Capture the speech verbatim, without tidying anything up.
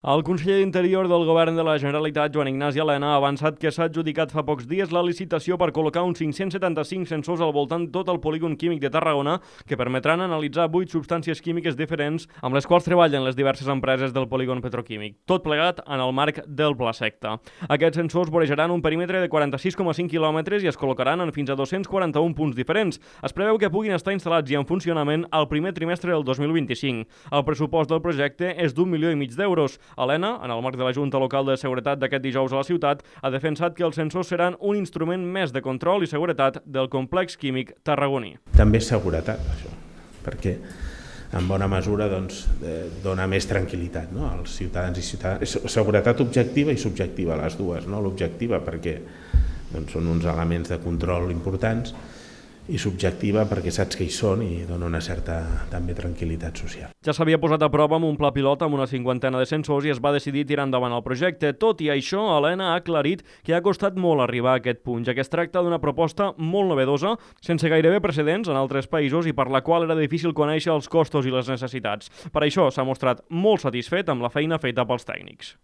El conseller d'Interior del Govern de la Generalitat, Joan Ignasi Elena, ha avançat que s'ha adjudicat fa pocs dies la licitació per col·locar uns cinc-cents setanta-cinc sensors al voltant de tot el polígon químic de Tarragona que permetran analitzar vuit substàncies químiques diferents amb les quals treballen les diverses empreses del polígon petroquímic, tot plegat en el marc del Pla Secta. Aquests sensors vorejaran un perímetre de quaranta-sis coma cinc quilòmetres i es col·locaran en fins a dos-cents quaranta-un punts diferents. Es preveu que puguin estar instal·lats i en funcionament al primer trimestre del dos mil vint-i-cinc. El pressupost del projecte és d'un milió i mig d'euros. Elena, en el marc de la Junta Local de Seguretat d'aquest dijous a la ciutat, ha defensat que els sensors seran un instrument més de control i seguretat del complex químic tarragoní. També és seguretat, això, perquè en bona mesura doncs, eh, dona més tranquil·litat, no?, als ciutadans i ciutadanes. Seguretat objectiva i subjectiva, les dues, no? L'objectiva perquè doncs, són uns elements de control importants, i subjectiva perquè saps que hi són i dona una certa també tranquil·litat social. Ja s'havia posat a prova amb un pla pilot amb una cinquantena de sensors i es va decidir tirar endavant el projecte. Tot i això, Elena ha aclarit que ha costat molt arribar a aquest punt, ja que es tracta d'una proposta molt novedosa, sense gairebé precedents en altres països i per la qual era difícil conèixer els costos i les necessitats. Per això s'ha mostrat molt satisfet amb la feina feta pels tècnics.